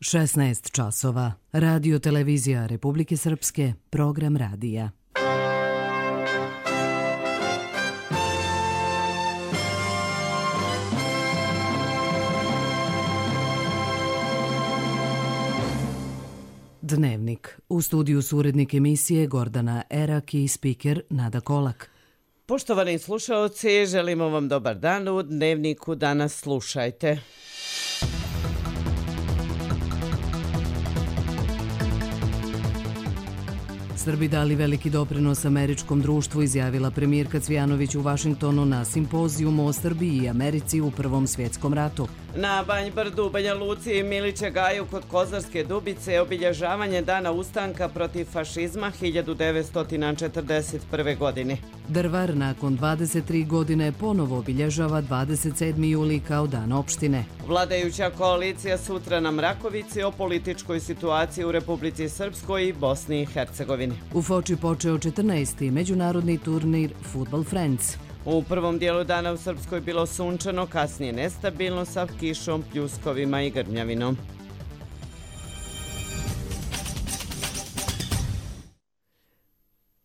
16 časova. Radio Televizija Republike Srpske, program radija. Dnevnik. U studiju su urednik emisije Gordana Erak i spiker Nada Kolak. Poštovani slušaoci, želimo vam dobar dan. U Dnevniku danas slušajte. Srbi dali veliki doprinos američkom društvu, izjavila premijerka Cvijanović u Vašingtonu na simpozijumu o Srbiji i Americi u Prvom svjetskom ratu. Na Banjbrdu, Banja Luci i Miliće Gaju kod Kozarske Dubice obilježavanje dana ustanka protiv fašizma 1941. godine. Drvar nakon 23 godine ponovo obilježava 27. juli kao dan opštine. Vladajuća koalicija sutra na Mrakovici o političkoj situaciji u Republici Srpskoj i Bosni i Hercegovini. U Foči počeo 14. međunarodni turnir Football Friends. U prvom dijelu dana u Srpskoj bilo sunčano, kasnije nestabilno sa kišom, pljuskovima i grmljavinom.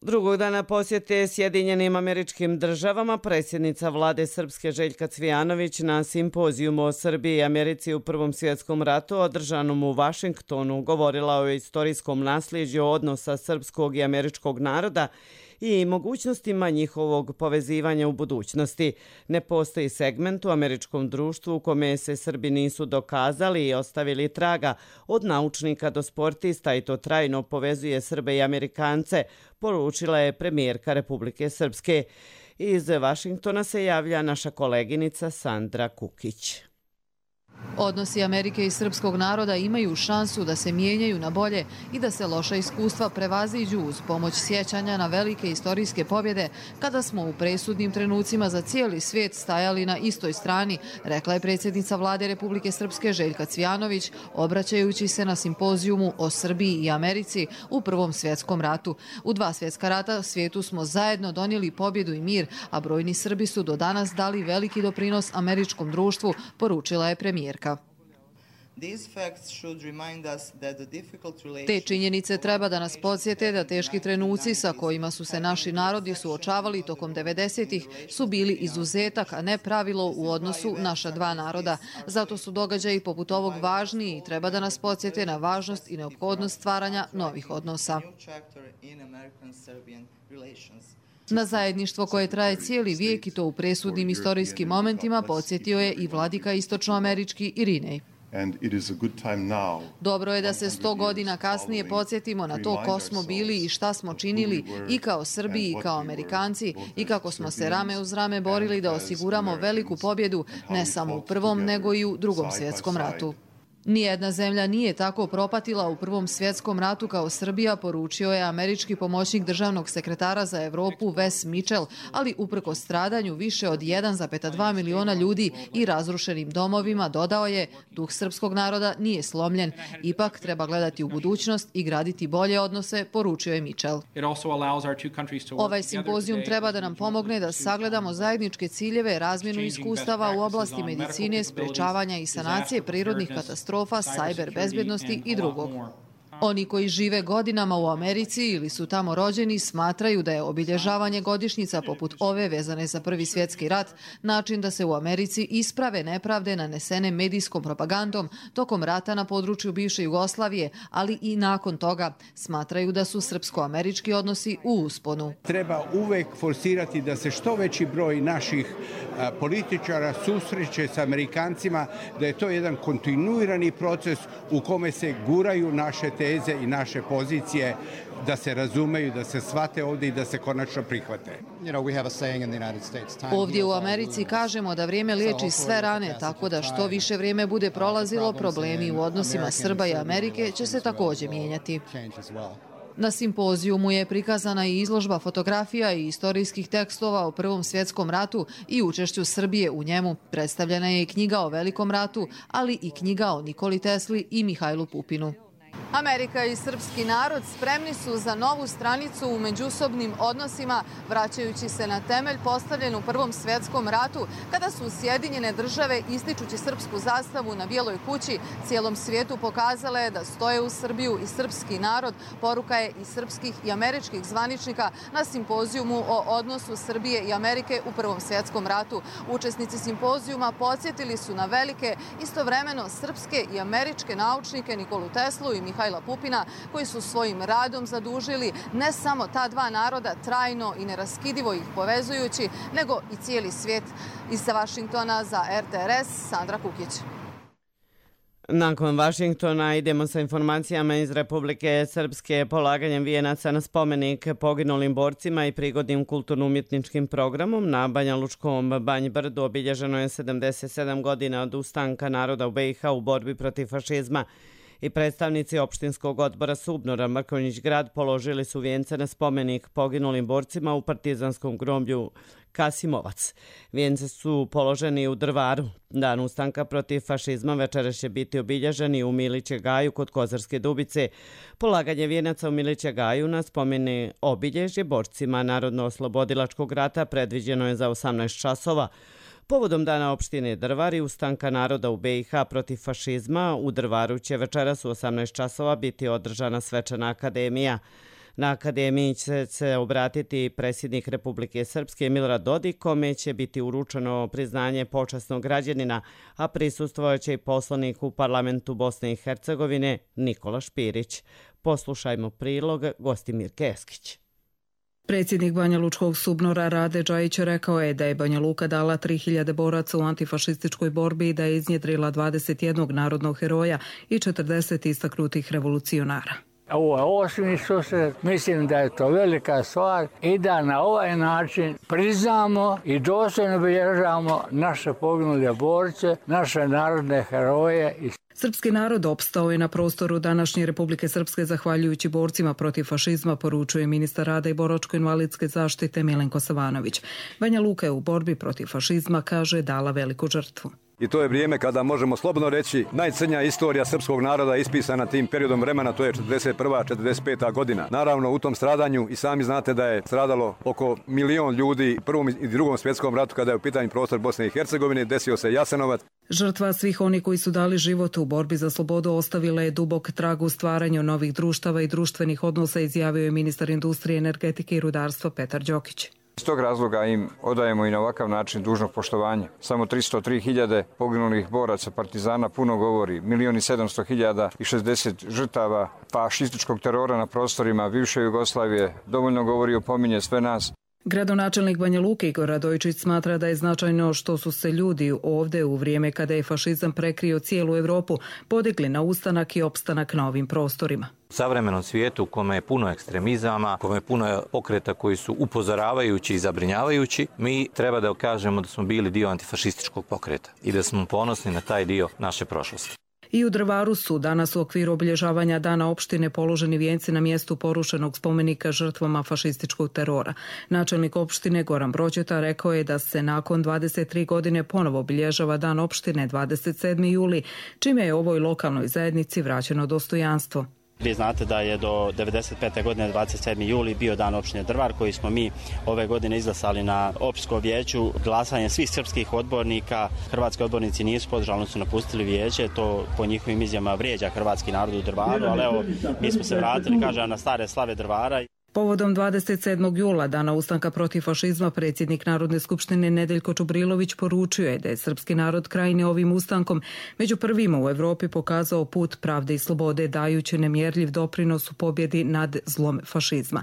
Drugog dana posjete Sjedinjenim Američkim Državama predsjednica vlade Srpske Željka Cvijanović na simpozijumu o Srbiji i Americi u Prvom svjetskom ratu održanom u Vašingtonu govorila o istorijskom nasljeđu odnosa srpskog i američkog naroda i mogućnostima njihovog povezivanja u budućnosti. Ne postoji segment u američkom društvu u kome se Srbi nisu dokazali i ostavili traga, od naučnika do sportista, i to trajno povezuje Srbe i Amerikance, poručila je premijerka Republike Srpske. Iz Vašingtona se javlja naša koleginica Sandra Kukić. Odnosi Amerike i srpskog naroda imaju šansu da se mijenjaju na bolje i da se loša iskustva prevaziđu uz pomoć sjećanja na velike istorijske pobjede kada smo u presudnim trenucima za cijeli svijet stajali na istoj strani, rekla je predsjednica vlade Republike Srpske Željka Cvijanović, obraćajući se na simpozijumu o Srbiji i Americi u Prvom svjetskom ratu. U 2 svjetska rata svijetu smo zajedno donijeli pobjedu i mir, a brojni Srbi su do danas dali veliki doprinos američkom društvu, poručila je premijerka. Te činjenice treba da nas podsjete da teški trenuci sa kojima su se naši narodi suočavali tokom 90-ih su bili izuzetak, a ne pravilo u odnosu naša dva naroda. Zato su događaji poput ovog važni i treba da nas podsjete na važnost i neophodnost stvaranja novih odnosa. Na zajedništvo koje traje cijeli vijek i to u presudnim istorijskim momentima podsjetio je i vladika istočnoamerički Irinej. Dobro je da se 100 godina kasnije podsjetimo na to ko smo bili i šta smo činili i kao Srbi i kao Amerikanci i kako smo se rame uz rame borili da osiguramo veliku pobjedu ne samo u Prvom nego i u Drugom svjetskom ratu. Nijedna zemlja nije tako propatila u Prvom svjetskom ratu kao Srbija, poručio je američki pomoćnik državnog sekretara za Evropu Wes Mitchell, ali uprkos stradanju više od 1,2 miliona ljudi i razrušenim domovima, dodao je, duh srpskog naroda nije slomljen. Ipak treba gledati u budućnost i graditi bolje odnose, poručio je Mitchell. Ovaj simpozijum treba da nam pomogne da sagledamo zajedničke ciljeve, razmjenu iskustava u oblasti medicine, sprečavanja i sanacije prirodnih katastrofa, sajber bezbjednosti i drugog. Oni koji žive godinama u Americi ili su tamo rođeni smatraju da je obilježavanje godišnjica poput ove vezane za Prvi svjetski rat način da se u Americi isprave nepravde nanesene medijskom propagandom tokom rata na području bivše Jugoslavije, ali i nakon toga. Smatraju da su srpsko-američki odnosi u usponu. Treba uvek forsirati da se što veći broj naših političara susreće s Amerikancima, da je to jedan kontinuirani proces u kome se guraju naše teze i naše pozicije, da se razumeju, da se shvate ovdje i da se konačno prihvate. Ovdje u Americi kažemo da vrijeme liječi sve rane, tako da što više vrijeme bude prolazilo, problemi u odnosima Srba i Amerike će se također mijenjati. Na simpozijumu je prikazana i izložba fotografija i istorijskih tekstova o Prvom svjetskom ratu i učešću Srbije u njemu. Predstavljena je i knjiga o Velikom ratu, ali i knjiga o Nikoli Tesli i Mihajlu Pupinu. Amerika i srpski narod spremni su za novu stranicu u međusobnim odnosima, vraćajući se na temelj postavljen u Prvom svjetskom ratu, kada su Sjedinjene države, ističući srpsku zastavu na Bijeloj kući, cijelom svijetu pokazale da stoje uz Srbiju i srpski narod. Poruka je i srpskih i američkih zvaničnika na simpozijumu o odnosu Srbije i Amerike u Prvom svjetskom ratu. Učesnici simpozijuma podsjetili su na velike, istovremeno srpske i američke naučnike Nikolu Teslu i Mihajla Pupina, koji su svojim radom zadužili ne samo ta dva naroda trajno i neraskidivo ih povezujući, nego i cijeli svijet. Iz Vašingtona za RTRS, Sandra Kukić. Nakon Vašingtona idemo sa informacijama iz Republike Srpske. Polaganjem vijenaca na spomenik poginulim borcima i prigodnim kulturno-umjetničkim programom na Banja Lučkom Banj Brdu obilježeno je 77 godina od ustanka naroda u BiH u borbi protiv fašizma. I predstavnici opštinskog odbora Subnora Mrkonjić grad položili su vijence na spomenik poginulim borcima u partizanskom groblju Kasimovac. Vijence su položeni u Drvaru. Dan ustanka protiv fašizma večeras će biti obilježeni u Miliće Gaju kod Kozarske Dubice. Polaganje vijenaca u Miliće Gaju na spomeni obilježje borcima Narodno-oslobodilačkog rata predviđeno je za 18 časova. Povodom dana opštine Drvar i ustanka naroda u BiH protiv fašizma, u Drvaru će večeras u 18 časova biti održana svečana akademija. Na akademiji će se obratiti predsjednik Republike Srpske Milorad Dodik, kome će biti uručeno priznanje počasnog građanina, a prisustvojaće i poslanik u parlamentu Bosne i Hercegovine Nikola Špirić. Poslušajmo prilog Gostimir Keskić. Predsjednik Banja Lučkog Subnora Rade Džajić rekao je da je Banja Luka dala 3000 boraca u antifašističkoj borbi i da je iznjedrila 21 narodnog heroja i 40 istaknutih revolucionara. Ovo je osmi susret, mislim da je to velika stvar i da na ovaj način priznamo i dostojno obilježavamo naše poginule borce, naše narodne heroje. Srpski narod opstao je na prostoru današnje Republike Srpske zahvaljujući borcima protiv fašizma, poručuje ministar rada i boračko-invalidske zaštite Milenko Savanović. Banja Luka je u borbi protiv fašizma, kaže, dala veliku žrtvu. I to je vrijeme kada možemo slobodno reći najcrnja istorija srpskog naroda ispisana tim periodom vremena, to je 41. 45. godina. Naravno, u tom stradanju i sami znate da je stradalo oko 1 milion ljudi u Prvom i Drugom svjetskom ratu kada je u pitanju prostor Bosne i Hercegovine, desio se Jasenovac. Žrtva svih onih koji su dali život u borbi za slobodu ostavila je dubok trag u stvaranju novih društava i društvenih odnosa, izjavio je ministar industrije, energetike i rudarstva Petar Đokić. Iz tog razloga im odajemo i na ovakav način dužno poštovanje. Samo 303.000 poginulih boraca partizana puno govori. 1.700.000 i 60 žrtava fašističkog terora na prostorima bivše Jugoslavije dovoljno govori i opominje sve nas. Gradonačelnik Banja Luke Igor Radojčić smatra da je značajno što su se ljudi ovdje u vrijeme kada je fašizam prekrio cijelu Europu podigli na ustanak i opstanak na ovim prostorima. U savremenom svijetu u kome je puno ekstremizama, u kome je puno pokreta koji su upozoravajući i zabrinjavajući, mi treba da kažemo da smo bili dio antifašističkog pokreta i da smo ponosni na taj dio naše prošlosti. I u Drvaru su danas u okviru obilježavanja dana opštine položeni vijenci na mjestu porušenog spomenika žrtvama fašističkog terora. Načelnik opštine Goran Brođeta rekao je da se nakon 23 godine ponovo obilježava dan opštine 27. juli, čime je ovoj lokalnoj zajednici vraćeno dostojanstvo. Vi znate da je do 1995. godine 27. juli bio dan opštine Drvar koji smo mi ove godine izglasali na opštinskom vijeću glasanjem svih srpskih odbornika. Hrvatski odbornici nisu podržali, su napustili vijeće, to po njihovim izjavama vrijeđa hrvatski narod u Drvaru, ali evo mi smo se vratili, kažem, na stare slave Drvara. Povodom 27. jula, dana ustanka protiv fašizma, predsjednik Narodne skupštine Nedeljko Čubrilović poručio je da je srpski narod krajnje ovim ustankom među prvima u Evropi pokazao put pravde i slobode, dajući nemjerljiv doprinos u pobjedi nad zlom fašizma.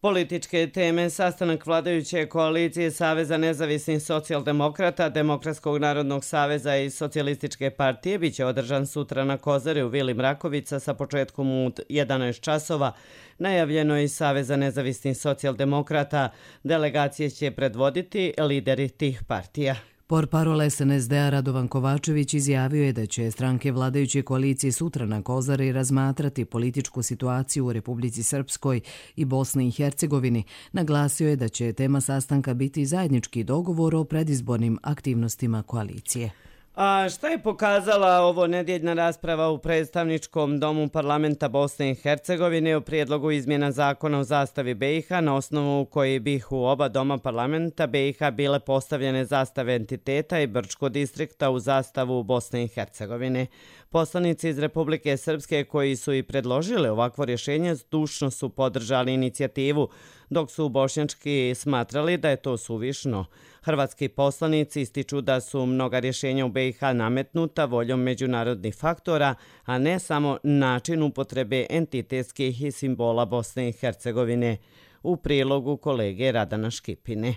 Političke teme, sastanak vladajuće koalicije Saveza nezavisnih socijaldemokrata, Demokratskog narodnog saveza i Socijalističke partije biće održan sutra na Kozari u Vili Mrakovica sa početkom u 11 časova. Najavljeno je iz Saveza nezavisnih socijaldemokrata. Delegacije će predvoditi lideri tih partija. Portparol SNSD-a Radovan Kovačević izjavio je da će stranke vladajuće koalicije sutra na Kozari razmatrati političku situaciju u Republici Srpskoj i Bosni i Hercegovini. Naglasio je da će tema sastanka biti zajednički dogovor o predizbornim aktivnostima koalicije. A šta je pokazala ovo nedjeljna rasprava u predstavničkom domu parlamenta Bosne i Hercegovine o prijedlogu izmjena zakona o zastavi BiH na osnovu koji bi u oba doma parlamenta BiH bile postavljene zastave entiteta i Brčko distrikta u zastavu Bosne i Hercegovine. Poslanici iz Republike Srpske koji su i predložili ovakvo rješenje zdušno su podržali inicijativu, dok su bošnjački smatrali da je to suvišno. Hrvatski poslanici ističu da su mnoga rješenja u BiH nametnuta voljom međunarodnih faktora, a ne samo način upotrebe entitetskih i simbola Bosne i Hercegovine. U prilogu kolege Radana Škipine.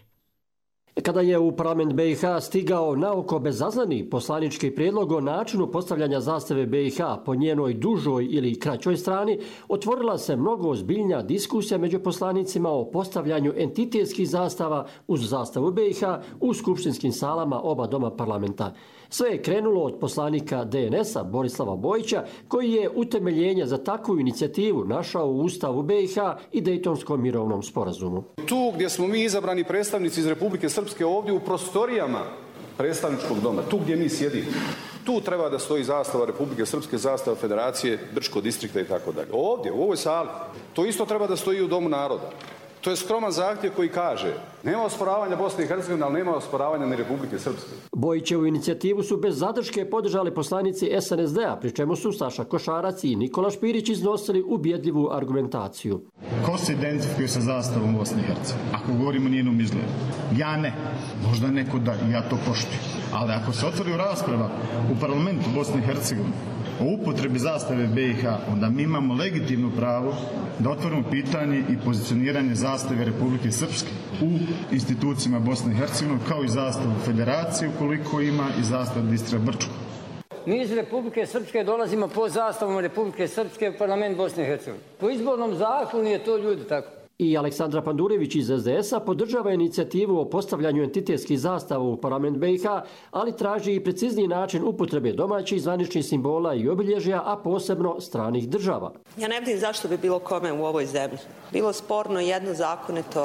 Kada je u parlament BiH stigao naoko bezazleni poslanički prijedlog o načinu postavljanja zastave BiH po njenoj dužoj ili kraćoj strani, otvorila se mnogo ozbiljnija diskusija među poslanicima o postavljanju entitetskih zastava uz zastavu BiH u skupštinskim salama oba doma parlamenta. Sve je krenulo od poslanika DNS-a Borislava Bojića, koji je utemeljenje za takvu inicijativu našao u Ustavu BiH i Dejtonskom mirovnom sporazumu. Tu gdje smo mi izabrani predstavnici iz Republike Srpske, ovdje u prostorijama predstavničkog doma, tu gdje mi sjedimo, tu treba da stoji zastava Republike Srpske, zastava Federacije, Brčko distrikta i tako dalje. Ovdje, u ovoj sali, to isto treba da stoji u Domu naroda. To je skroman zahtjev koji kaže nema osporavanja Bosne i Hercegovine, ali nema osporavanja ni Republike Srpske. Bojićevu inicijativu su bez zadrške podržali poslanici SNSD-a, pri čemu su Saša Košarac i Nikola Špirić iznosili ubjedljivu argumentaciju. Ko se identifikuje sa zastavom Bosne i Hercegovine? Ako govorimo o njenom izgledu. Ja ne. Možda neko da, ja to poštujem. Ali ako se otvori rasprava u parlamentu Bosne i Hercegovine o upotrebi zastave BiH, onda mi imamo legitimno pravo da otvorimo pitanje i pozicioniranje zastave Republike Srpske u institucijama Bosne i Hercegovine, kao i zastavu Federacije, ukoliko ima, i zastavu distrikta Brčko. Mi iz Republike Srpske dolazimo po zastavom Republike Srpske u parlament Bosne i Hercegovine. Po izbornom zakonu je to, ljudi, tako. I Aleksandra Pandurević iz SDS-a podržava inicijativu o postavljanju entitetskih zastava u parlament BiH, ali traži i precizniji način upotrebe domaćih zvaničnih simbola i obilježja, a posebno stranih država. Ja ne vidim zašto bi bilo kome u ovoj zemlji bilo sporno jedno zakonito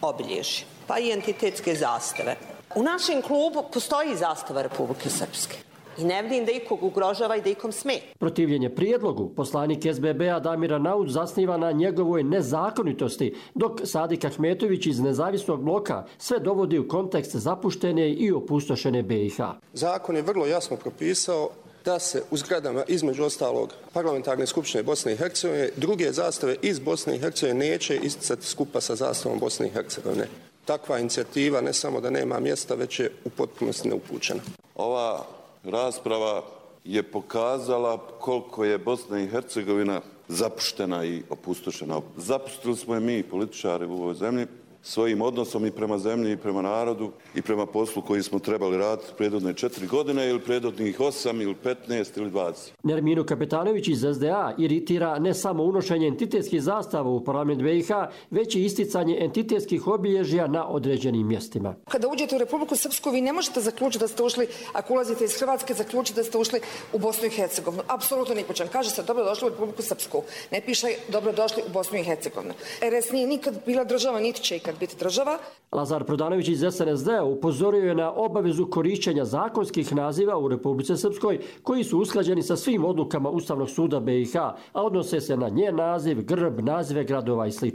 obilježje, pa i entitetske zastave. U našem klubu postoji zastava Republike Srpske. I ne vidim da ikog ugrožava i da ikom smeta. Protivljenje prijedlogu poslanik SBB-a Damira Naud zasniva na njegovoj nezakonitosti, dok Sadik Ahmetović iz Nezavisnog bloka sve dovodi u kontekst zapuštene i opustošene BiH. Zakon je vrlo jasno propisao da se u zgradama, između ostalog Parlamentarne skupštine Bosne i Hercegovine, druge zastave iz Bosne i Hercegovine neće isticati skupa sa zastavom Bosne i Hercegovine. Takva inicijativa ne samo da nema mjesta, već je u potpunosti neupućena. Ova rasprava je pokazala koliko je Bosna i Hercegovina zapuštena i opustošena. Zapustili smo je mi, političari u ovoj zemlji, svojim odnosom i prema zemlji i prema narodu i prema poslu koji smo trebali raditi prethodne 4 godine ili prethodnih 8 ili 15 ili 20. Nerminu Kapetanović iz SDA iritira ne samo unošenje entitetskih zastava u parlament BiH, već i isticanje entitetskih obilježja na određenim mjestima. Kada uđete u Republiku Srpsku, vi ne možete zaključiti da ste ušli, ako ulazite iz Hrvatske, zaključiti da ste ušli u Bosnu i Hercegovinu. Apsolutno ni po čem. Kaže se dobrodošli u Republiku Srpsku. Ne piše dobrodošli u Bosnu i Hercegovinu. RS nije nikad bila država, niti će ikad biti država. Lazar Prodanović iz SNSD-a upozorio je na obavezu korišćenja zakonskih naziva u Republici Srpskoj koji su usklađeni sa svim odlukama Ustavnog suda BiH, a odnose se na njen naziv, grb, nazive gradova i sl.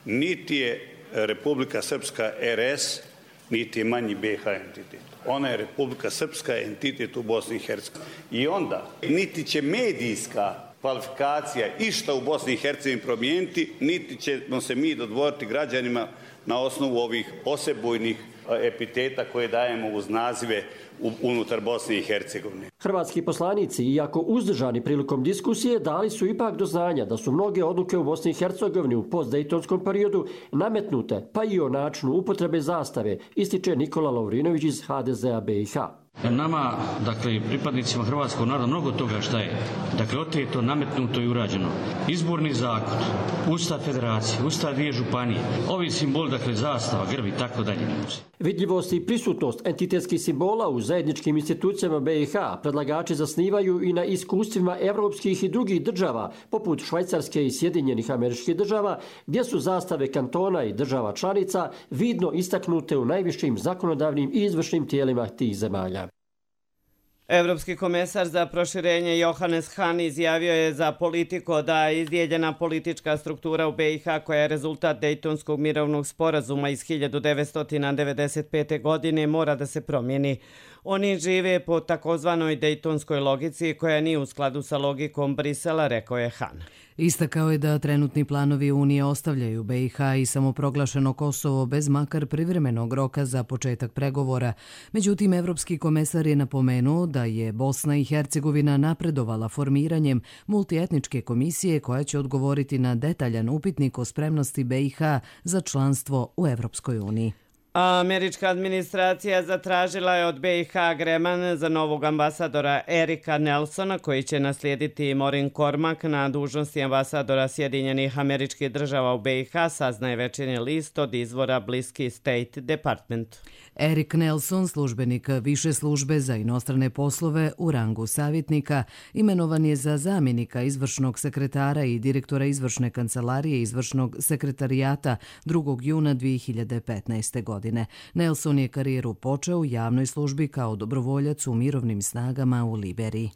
Niti je Republika Srpska RS, niti je manji BiH entitet. Ona je Republika Srpska entitet u Bosni i Hercegovini. I onda niti će medijska kvalifikacija išta u Bosni i Hercegovini promijeniti, niti ćemo se mi dodvoriti građanima na osnovu ovih posebujnih epiteta koje dajemo uz nazive unutar Bosne i Hercegovine. Hrvatski poslanici, iako uzdržani prilikom diskusije, dali su ipak do znanja da su mnoge odluke u Bosni i Hercegovini u postdejtonskom periodu nametnute, pa i o načinu upotrebe zastave, ističe Nikola Lovrinović iz HDZ-a BiH. Nama, dakle, pripadnicima hrvatskog naroda, mnogo toga šta je, dakle, oteto, nametnuto i urađeno. Izborni zakon, Ustav Federacije, Ustav dvije županije, ovi simboli, dakle, zastava, grb i tako dalje. Vidljivost i prisutnost entitetskih simbola u zajedničkim institucijama BiH predlagači zasnivaju i na iskustvima evropskih i drugih država, poput Švajcarske i Sjedinjenih Američkih Država, gdje su zastave kantona i država članica vidno istaknute u najvišim zakonodavnim i izvršnim tijelima tih zemalja. Evropski komesar za proširenje Johannes Hahn izjavio je za Politico da izdijeljena politička struktura u BiH, koja je rezultat Dejtonskog mirovnog sporazuma iz 1995. godine, mora da se promijeni. Oni žive po takozvanoj dejtonskoj logici koja nije u skladu sa logikom Brisela, rekao je Hahn. Istakao je da trenutni planovi Unije ostavljaju BiH i samoproglašeno Kosovo bez makar privremenog roka za početak pregovora. Međutim, evropski komesar je napomenuo da je Bosna i Hercegovina napredovala formiranjem multietničke komisije koja će odgovoriti na detaljan upitnik o spremnosti BiH za članstvo u Evropskoj uniji. Američka administracija zatražila je od BiH agreement za novog ambasadora Erika Nelsona, koji će naslijediti Maureen Cormack na dužnosti ambasadora Sjedinjenih Američkih Država u BiH, saznaje Večernji list od izvora bliski State Department. Erik Nelson, službenik više službe za inostrane poslove u rangu savjetnika, imenovan je za zamjenika izvršnog sekretara i direktora izvršne kancelarije izvršnog sekretarijata 2. juna 2015. godine. Nelson je karijeru počeo u javnoj službi kao dobrovoljac u mirovnim snagama u Liberiji.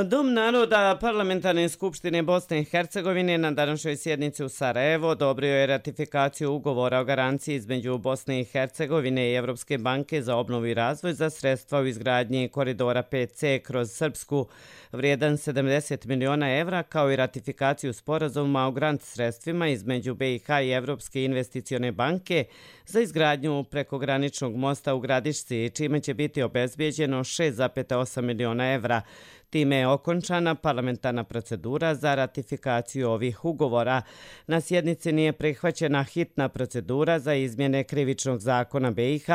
Dom naroda Parlamentarne skupštine Bosne i Hercegovine na današnjoj sjednici u Sarajevu odobrio je ratifikaciju ugovora o garanciji između Bosne i Hercegovine i Evropske banke za obnovu i razvoj za sredstva u izgradnji koridora 5C kroz Srpsku vrijedan 70 miliona evra, kao i ratifikaciju sporazuma o grant sredstvima između BiH i Evropske investicione banke za izgradnju prekograničnog mosta u Gradišci, čime će biti obezbijeđeno 6,8 miliona evra. Time je okončana parlamentarna procedura za ratifikaciju ovih ugovora. Na sjednici nije prihvaćena hitna procedura za izmjene krivičnog zakona BiH,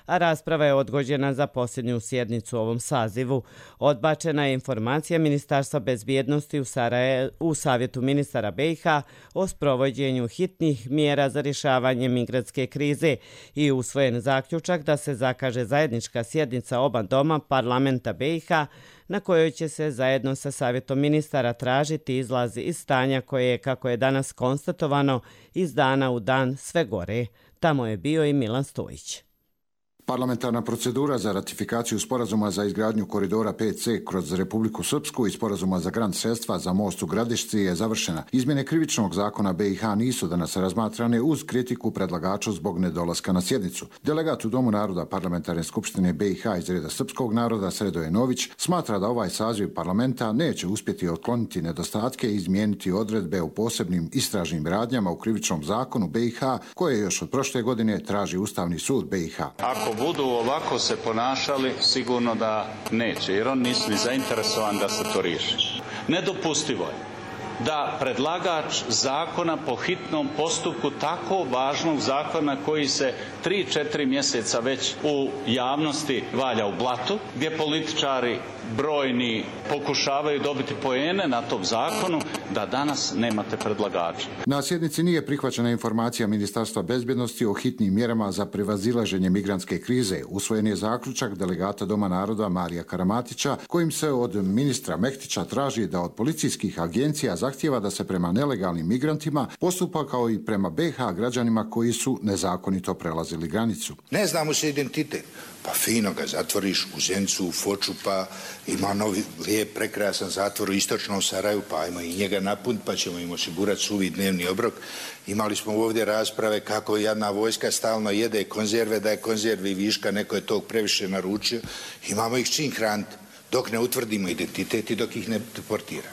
a rasprava je odgođena za posljednju sjednicu u ovom sazivu. Odbačena je informacija Ministarstva bezbjednosti u Savjetu ministara BiH o sprovođenju hitnih mjera za rješavanje migrantske krize i usvojen zaključak da se zakaže zajednička sjednica oba doma parlamenta BiH, na kojoj će se zajedno sa Savjetom ministara tražiti izlazi iz stanja koje je, kako je danas konstatovano, iz dana u dan sve gore. Tamo je bio i Milan Stojić. Parlamentarna procedura za ratifikaciju sporazuma za izgradnju koridora 5C kroz Republiku Srpsku i sporazuma za grant sredstva za most u Gradišci je završena. Izmjene krivičnog zakona BiH nisu danas razmatrane uz kritiku predlagača zbog nedolaska na sjednicu. Delegat u Domu naroda Parlamentarne skupštine BiH iz reda srpskog naroda Sredoje Nović smatra da ovaj saziv parlamenta neće uspjeti otkloniti nedostatke i izmijeniti odredbe u posebnim istražnim radnjama u krivičnom zakonu BiH koje još od prošle godine traži Ustavni sud BiH. Ako budu ovako se ponašali, sigurno da neće, jer on nisu ni zainteresovan da se to riješi. Nedopustivo je da predlagač zakona po hitnom postupku tako važnog zakona koji se 3-4 mjeseca već u javnosti valja u blatu, gdje političari brojni pokušavaju dobiti poene na tom zakonu, da danas nemate predlagača. Na sjednici nije prihvaćena informacija Ministarstva bezbjednosti o hitnim mjerama za prevazilaženje migrantske krize. Usvojen je zaključak delegata Doma naroda Marija Karamatića, kojim se od ministra Mehtića traži da od policijskih agencija zahtijeva da se prema nelegalnim migrantima postupa kao i prema BiH građanima koji su nezakonito prelazili granicu. Ne znamo se identitet. Pa fino ga zatvoriš u Zencu, u Foču, pa ima novi lijep, prekrasan zatvor u istočnom Sarajevu, pa ajmo i njega napuniti, pa ćemo im osigurati suvi dnevni obrok. Imali smo ovdje rasprave kako jedna vojska stalno jede konzerve, da je konzervi viška, neko je tog previše naručio. Imamo ih čim hraniti dok ne utvrdimo identitet i dok ih ne deportira.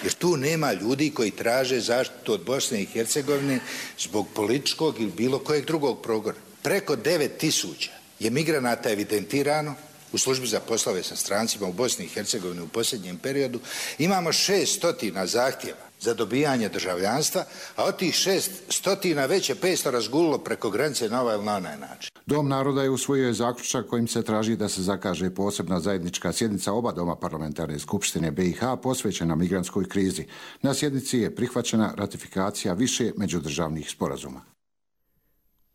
Jer tu nema ljudi koji traže zaštitu od Bosne i Hercegovine zbog političkog ili bilo kojeg drugog progona. Preko 9.000 je migranata evidentirano u službi za poslove sa strancima u Bosni i Hercegovini u posljednjem periodu. Imamo 600 zahtjeva za dobijanje državljanstva, a od tih 600 već je 500 razgulilo preko granice na ovaj ili na onaj način. Dom naroda je usvojio zaključak kojim se traži da se zakaže posebna zajednička sjednica oba doma Parlamentarne skupštine BiH posvećena migrantskoj krizi. Na sjednici je prihvaćena ratifikacija više međudržavnih sporazuma.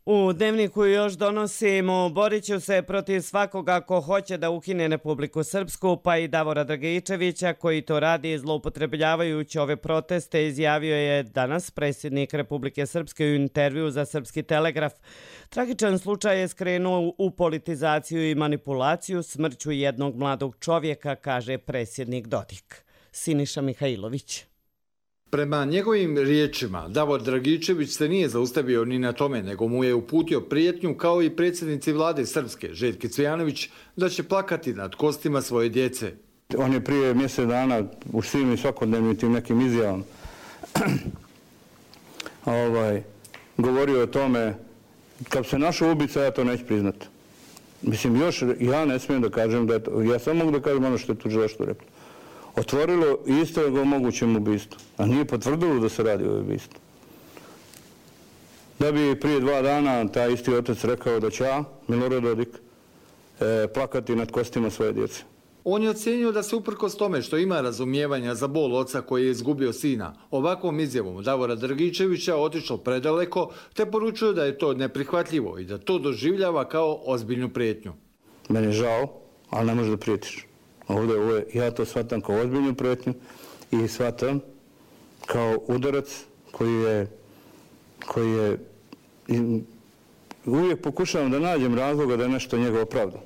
U Dnevniku još donosimo: borit ću se protiv svakoga ko hoće da ukine Republiku Srpsku, pa i Davora Dragičevića koji to radi zloupotrebljavajući ove proteste, izjavio je danas predsjednik Republike Srpske u intervju za Srpski telegraf. Tragičan slučaj je skrenuo u politizaciju i manipulaciju smrću jednog mladog čovjeka, kaže predsjednik Dodik. Siniša Mihajlović. Prema njegovim riječima, Davor Dragičević se nije zaustavio ni na tome, nego mu je uputio prijetnju kao i predsjednici vlade Srpske, Željke Cvijanović, da će plakati nad kostima svoje djece. On je prije mjesec dana u svim i svakodnevnim tim nekim izjavom govorio o tome, kad se našao ubica, ja to neću priznati. Mislim, još ja ne smijem da kažem da je to, ja samo mogu da kažem ono što je tužilaštvo reklo. Otvorilo istragu o mogućem ubistvu, a nije potvrdilo da se radi o ubistvu. Da bi prije 2 dana taj isti otac rekao da će ja, Milorad Dodik, plakati nad kostima svoje djece. On je ocjenio da se uprkos tome što ima razumijevanja za bol oca koji je izgubio sina, ovakvom izjavom Davora Dragičevića otišao predaleko, te poručuje da je to neprihvatljivo i da to doživljava kao ozbiljnu prijetnju. Meni je žao, ali ne može da prijetiš. Ovdje ja to shvatam kao ozbiljnu prijetnju i shvatam kao udarac koji je uvijek pokušavam da nađem razloga da je nešto njegov pravda.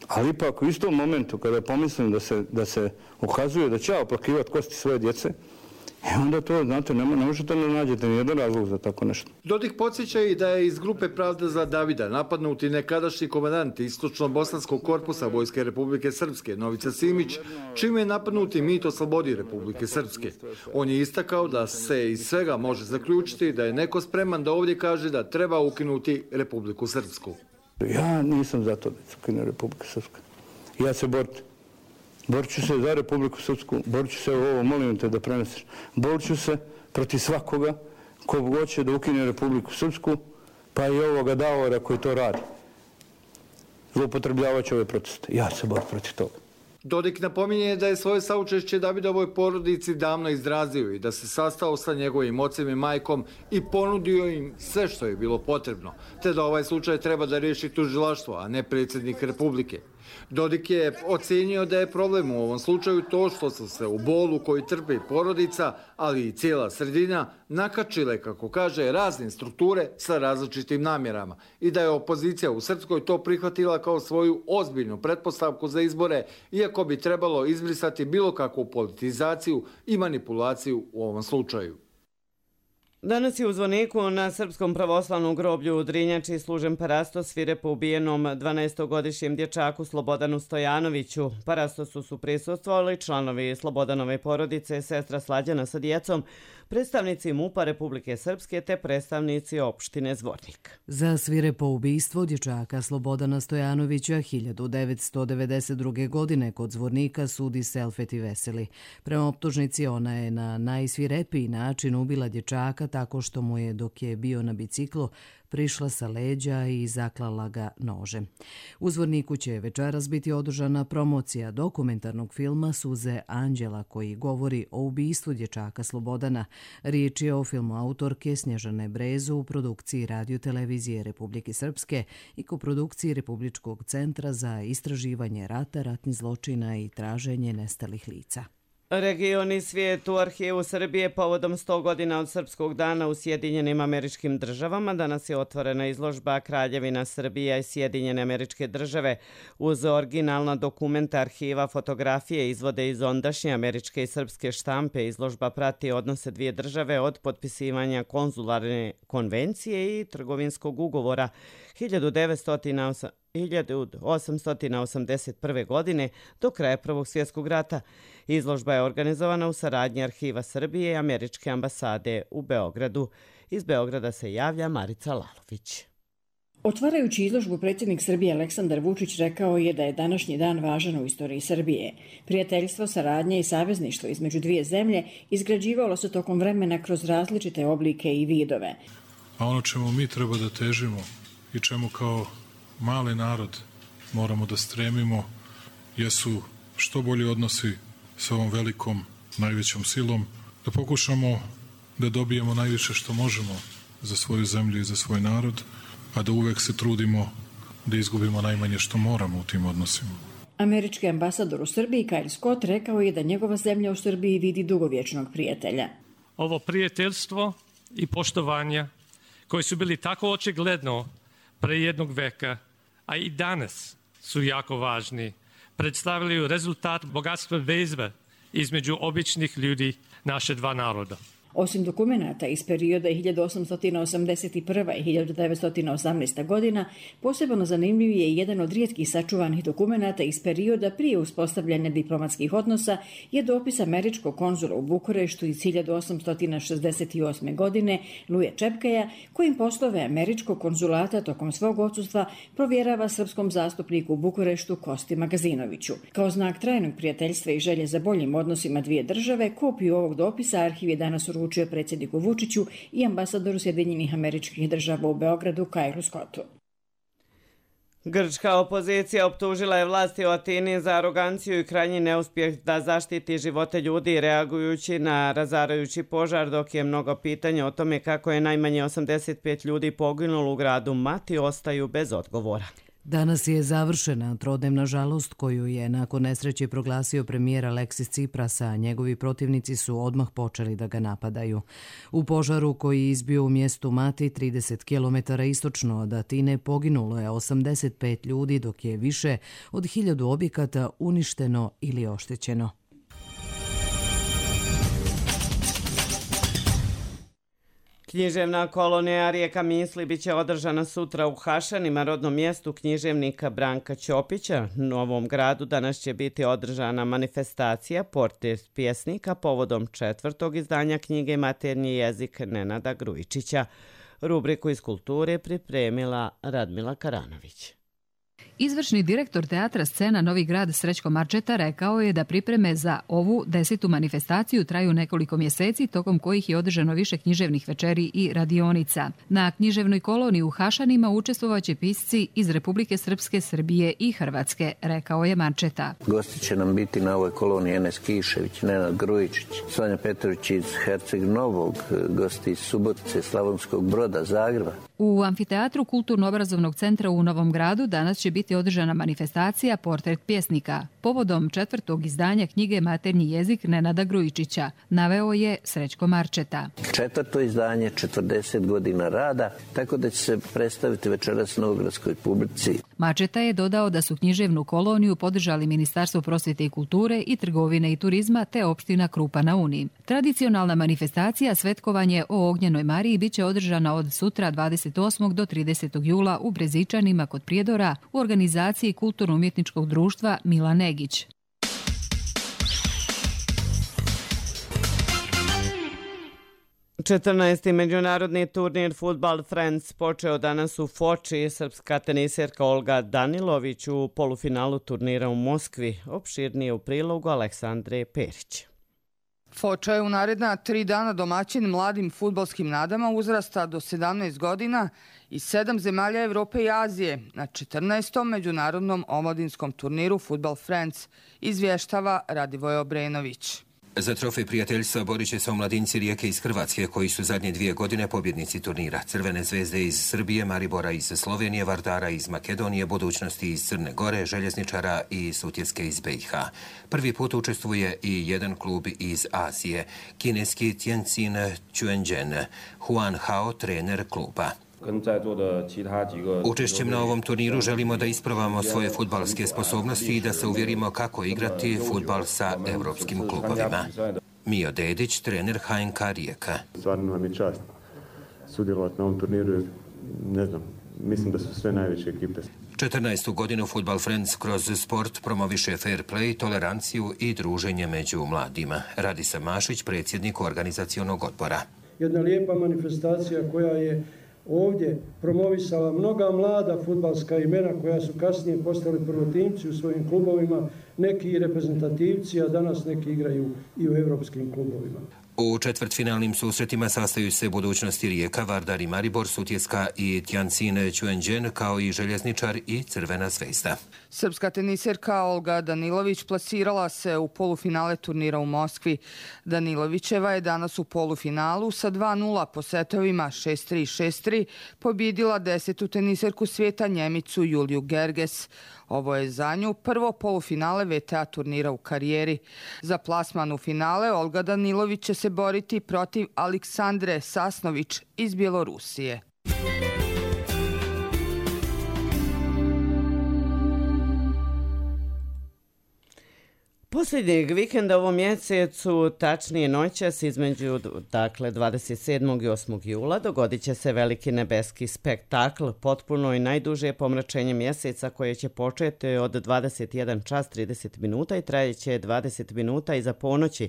Ali ipak u istom momentu kada pomislim da se ukazuje da će ja oplakivati kosti svoje djece, onda to, znate, ne možete da nađete nijedan razlog za tako nešto. Dodik podsjeća i da je iz grupe Pravda za Davida napadnuti nekadašnji komandant Istočno-Bosanskog korpusa Vojske Republike Srpske, Novica Simić, čime je napadnuti mit o slobodi Republike Srpske. On je istakao da se iz svega može zaključiti da je neko spreman da ovdje kaže da treba ukinuti Republiku Srpsku. Ja nisam za to da se ukine Republika Srpska. Ja se borit ću se za Republiku Srpsku, borit ću se ovo, molim te da preneseš, borit ću se protiv svakoga ko hoće da ukine Republiku Srpsku, pa i ovoga Davora koji to radi. Zloupotrebljavajući ove proteste. Ja se borim protiv toga. Dodik napominje da je svoje saučešće Davidovoj porodici davno izrazio i da se sastao sa njegovim ocem i majkom i ponudio im sve što je bilo potrebno, te da ovaj slučaj treba da riješi tužilaštvo, a ne predsjednik Republike. Dodik je ocenio da je problem u ovom slučaju to što su se u bolu koji trpi porodica, ali i cijela sredina, nakačile, kako kaže, razne strukture sa različitim namjerama i da je opozicija u Srpskoj to prihvatila kao svoju ozbiljnu pretpostavku za izbore, iako bi trebalo izbrisati bilo kakvu politizaciju i manipulaciju u ovom slučaju. Danas je u zvoniku na Srpskom pravoslavnom groblju u Drinjači služen parasto svirepo ubijenom 12-godišnjem dječaku Slobodanu Stojanoviću. Parastosu su prisustvovali članovi Slobodanove porodice, sestra Slađana sa djecom, predstavnici MUP-a Republike Srpske te predstavnici opštine Zvornik. Za svirepo ubistvo dječaka Slobodana Stojanovića 1992. godine kod Zvornika sudi Selfeti Veseli. Prema optužnici ona je na najsvirepiji način ubila dječaka tako što mu je, dok je bio na biciklu, prišla sa leđa i zaklala ga nožem. U Zvorniku će večeras biti održana promocija dokumentarnog filma Suze Anđela koji govori o ubistvu dječaka Slobodana. Riječ je o filmu autorke Snježane Brezu u produkciji Radio-televizije Republike Srpske i koprodukciji Republičkog centra za istraživanje rata, ratnih zločina i traženje nestalih lica. Region i svijet u Arhivu Srbije povodom 100 godina od Srpskog dana u Sjedinjenim Američkim Državama. Danas je otvorena izložba Kraljevina Srbija i Sjedinjene Američke Države. Uz originalna dokumenta arhiva, fotografije, izvode iz ondašnje američke i srpske štampe. Izložba prati odnose dvije države od potpisivanja konzularne konvencije i trgovinskog ugovora 1881. godine do kraja Prvog svjetskog rata. Izložba je organizovana u saradnji Arhiva Srbije i Američke ambasade u Beogradu. Iz Beograda se javlja Marica Lalović. Otvarajući izložbu, predsjednik Srbije Aleksandar Vučić rekao je da je današnji dan važan u istoriji Srbije. Prijateljstvo, saradnja i savezništvo između dvije zemlje izgrađivalo se tokom vremena kroz različite oblike i vidove. A ono čemu mi treba da težimo i čemu kao mali narod moramo da stremimo jesu što bolji odnosi sa ovom velikom, najvećom silom, da pokušamo da dobijemo najviše što možemo za svoju zemlju i za svoj narod, a da uvek se trudimo da izgubimo najmanje što moramo u tim odnosima. Američki ambasador u Srbiji Kyle Scott rekao je da njegova zemlja u Srbiji vidi dugovječnog prijatelja. Ovo prijateljstvo i poštovanja koji su bili tako očigledno pre jednog veka, a i danas su jako važni, predstavljaju rezultat bogatstva veze između običnih ljudi naše dva naroda. Osim dokumenata iz perioda 1881. i 1918. godina, posebno zanimljiv je jedan od rijetkih sačuvanih dokumenata iz perioda prije uspostavljanja diplomatskih odnosa je dopis američkog konzula u Bukureštu iz 1868. godine Luje Čepkaja, kojim poslove američkog konzulata tokom svog odsustva provjerava srpskom zastupniku u Bukureštu Kosti Magazinoviću. Kao znak trajnog prijateljstva i želje za boljim odnosima dvije države, kopiju ovog dopisa arhiv je danas uručio predsjedniku Vučiću i ambasadoru Sjedinjenih Američkih Država u Beogradu Kylu Scottu. Grčka opozicija optužila je vlasti u Atini za aroganciju i krajnji neuspjeh da zaštiti živote ljudi reagujući na razarajući požar, dok je mnogo pitanja o tome kako je najmanje 85 ljudi poginulo u gradu Mati ostaju bez odgovora. Danas je završena trodnevna žalost koju je nakon nesreće proglasio premijer Aleksis Tsipras, a njegovi protivnici su odmah počeli da ga napadaju. U požaru koji je izbio u mjestu Mati 30 km istočno od Atine poginulo je 85 ljudi, dok je više od 1000 objekata uništeno ili oštećeno. Književna kolonija Rijeka misli bit će održana sutra u Hašanima, rodnom mjestu književnika Branka Ćopića. U Novom Gradu danas će biti održana manifestacija Portret pjesnika povodom 4. izdanja knjige Maternji jezik Nenada Grujičića. Rubriku iz kulture pripremila Radmila Karanović. Izvršni direktor teatra Scena Novi Grad Srećko Marčeta rekao je da pripreme za ovu 10. manifestaciju traju nekoliko mjeseci, tokom kojih je održano više književnih večeri i radionica. Na književnoj koloniji u Hašanima učestvovaće pisci iz Republike Srpske, Srbije i Hrvatske, rekao je Marčeta. Gosti će nam biti na ovoj koloniji Enes Kišević, Nenad Grujičić, Sonja Petrović iz Herceg Novog, gosti iz Subotice, Slavonskog Broda, Zagreba. U amfiteatru Kulturno-obrazovnog centra u Novom Gradu danas će biti održana manifestacija Portret pjesnika povodom 4. izdanja knjige Maternji jezik Nenada Grujičića, naveo je Srećko Marčeta. 4. izdanje, 40 godina rada, tako da će se predstaviti večeras novogradskoj publici. Marčeta je dodao da su književnu koloniju podržali Ministarstvo prosvjete i kulture i trgovine i turizma te opština Krupa na Uni. Tradicionalna manifestacija Svetkovanje o Ognjenoj Mariji biće održana od sutra 28. do 30. jula u Brezičanima kod Prijedora u organizaciji Kulturno-umjetničkog društva Mila Negić. Četrnaesti međunarodni turnir Football Friends počeo danas u Foči. Srpska teniserka Olga Danilović u polufinalu turnira u Moskvi. Opširnije u prilogu Aleksandre Perić. Foča je u naredna 3 dana domaćin mladim fudbalskim nadama uzrasta do 17 godina iz 7 zemalja Evrope i Azije na 14. međunarodnom omladinskom turniru Football Friends, izvještava Radivoj Obrenović. Za trofej prijateljstva borit će se omladinci Rijeke iz Hrvatske, koji su zadnje 2 godine pobjednici turnira. Crvene zvezde iz Srbije, Maribora iz Slovenije, Vardara iz Makedonije, Budućnosti iz Crne Gore, Željezničara i Sutjeske iz BiH. Prvi put učestvuje i jedan klub iz Azije, kineski Tianjin Quanzhen, Huan Hao, trener kluba. Učešćem na ovom turniru želimo da ispravamo svoje fudbalske sposobnosti i da se uvjerimo kako igrati fudbal sa evropskim klubovima. Mio Dedić, trener HNK Rijeka. Stvarno nam je čast sudjelovati na ovom turniru. Ne znam, mislim da su sve najveće ekipe. 14. godinu Football Friends kroz sport promoviše fair play, toleranciju i druženje među mladima. Radisa Mašić, predsjednik organizacionog odbora. Jedna lijepa manifestacija koja je ovdje promovisala mnoga mlada fudbalska imena koja su kasnije postali prvotimci u svojim klubovima, neki reprezentativci, a danas neki igraju i u evropskim klubovima. U četvrtfinalnim susretima sastaju se budućnosti Rijeka, Vardar i Maribor, Sutjeska i Tianjin Čuenđen, kao i Željezničar i Crvena zvezda. Srpska teniserka Olga Danilović plasirala se u polufinale turnira u Moskvi. Danilovićeva je danas u polufinalu sa 2:0 po setovima 6-3, 6-3 pobjedila 10. teniserku svijeta Njemicu Juliju Gerges. Ovo je za nju prvo polufinale VTA turnira u karijeri. Za plasman u finale Olga Danilović će se boriti protiv Aleksandre Sasnović iz Bjelorusije. Posljednjeg vikenda ovom mjesecu, tačnije noćas između 27. i 8. jula, dogodit će se veliki nebeski spektakl, potpuno i najduže pomračenje mjeseca koje će početi od 21 čas 30 minuta i trajeće 20 minuta iza ponoći.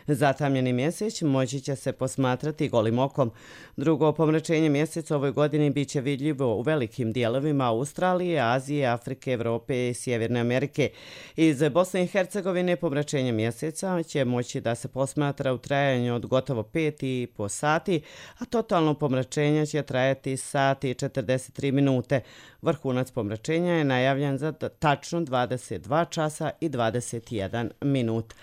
Zatamljeni mjesec moći će se posmatrati golim okom. Drugo pomračenje mjeseca ovoj godini bit će vidljivo u velikim dijelovima Australije, Azije, Afrike, Evrope i Sjeverne Amerike. Iz Bosne i Hercegovine pomračenje mjeseca će moći da se posmatra u trajanju od gotovo 5,5 sati, a totalno pomračenje će trajati sat i 43 minute. Vrhunac pomračenja je najavljen za tačno 22 časa i 21 minut.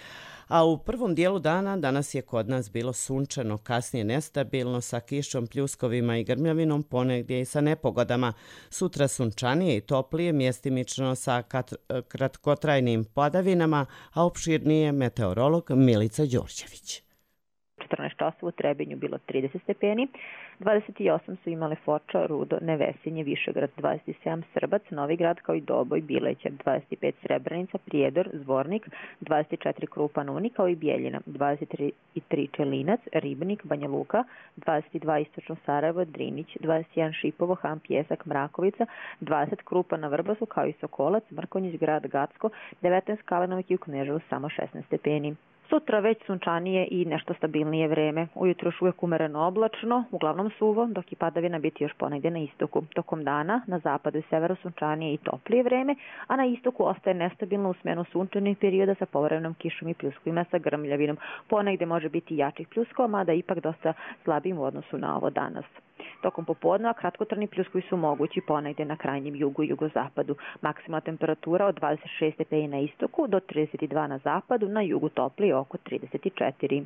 A u prvom dijelu dana danas je kod nas bilo sunčano, kasnije nestabilno sa kišom, pljuskovima i grmljavinom, ponegdje i sa nepogodama. Sutra sunčanije i toplije, mjestimično sa kratkotrajnim padavinama, a opširnije meteorolog Milica Đorđević. 14 časova u Trebinju bilo 30 stepeni, 28 su imale Foča, Rudo, Nevesinje, Višegrad, 27 Srbac, Novigrad kao i Doboj, Bilećar, 25 Srebrenica, Prijedor, Zvornik, 24 Krupan, Uni kao i Bijeljina, 23 Čelinac, Ribnik, Banja Luka, 22 Istočno Sarajevo, Drinić, 21 Šipovo, Han, Pjesak, Mrakovica, 20 Krupan na Vrbasu kao i Sokolac, Mrkonjić, Grad, Gacko, 19 Kalenovik i u Kneževu samo 16 stepeni. Sutra već sunčanije i nešto stabilnije vreme. Ujutro još uvijek umereno oblačno, uglavnom suvo, dok i padavina biti još ponegdje na istoku. Tokom dana na zapadu i severu sunčanije i toplije vreme, a na istoku ostaje nestabilno u smjenu sunčanih perioda sa povremenom kišom i pljuskovima sa grmljavinom. Ponegdje može biti jačih pljuskova, mada ipak dosta slabijim u odnosu na ovo danas. Tokom popodneva kratkotrajni pljuskovi su mogući ponegdje na krajnjem jugu i jugozapadu. Maksimalna temperatura od 26 stepeni na istoku do 32 na zapadu, na jugu toplije oko 34.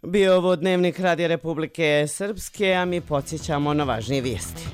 Bio ovo dnevnik Radija Republike Srpske, a mi podsjećamo na važnije vijesti.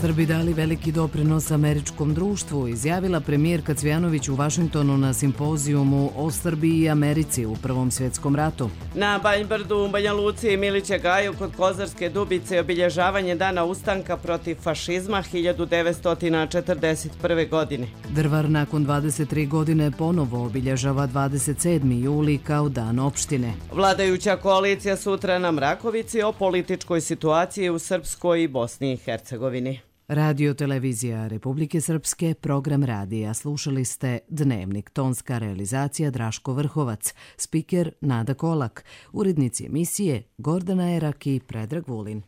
Srbi dali veliki doprinos američkom društvu, izjavila premijerka Cvijanović u Vašingtonu na simpozijumu o Srbiji i Americi u Prvom svjetskom ratu. Na Banjbrdu, u Banja Luci i Miliće Gaju kod Kozarske Dubice obilježavanje dana ustanka protiv fašizma 1941. godine. Drvar nakon 23 godine ponovo obilježava 27. juli kao dan opštine. Vladajuća koalicija sutra na Mrakovici o političkoj situaciji u Srpskoj i Bosni i Hercegovini. Radio Televizija Republike Srpske, program radija. Slušali ste Dnevnik, tonska realizacija Draško Vrhovac, spiker Nada Kolak, urednici emisije Gordana Erak i Predrag Vulin.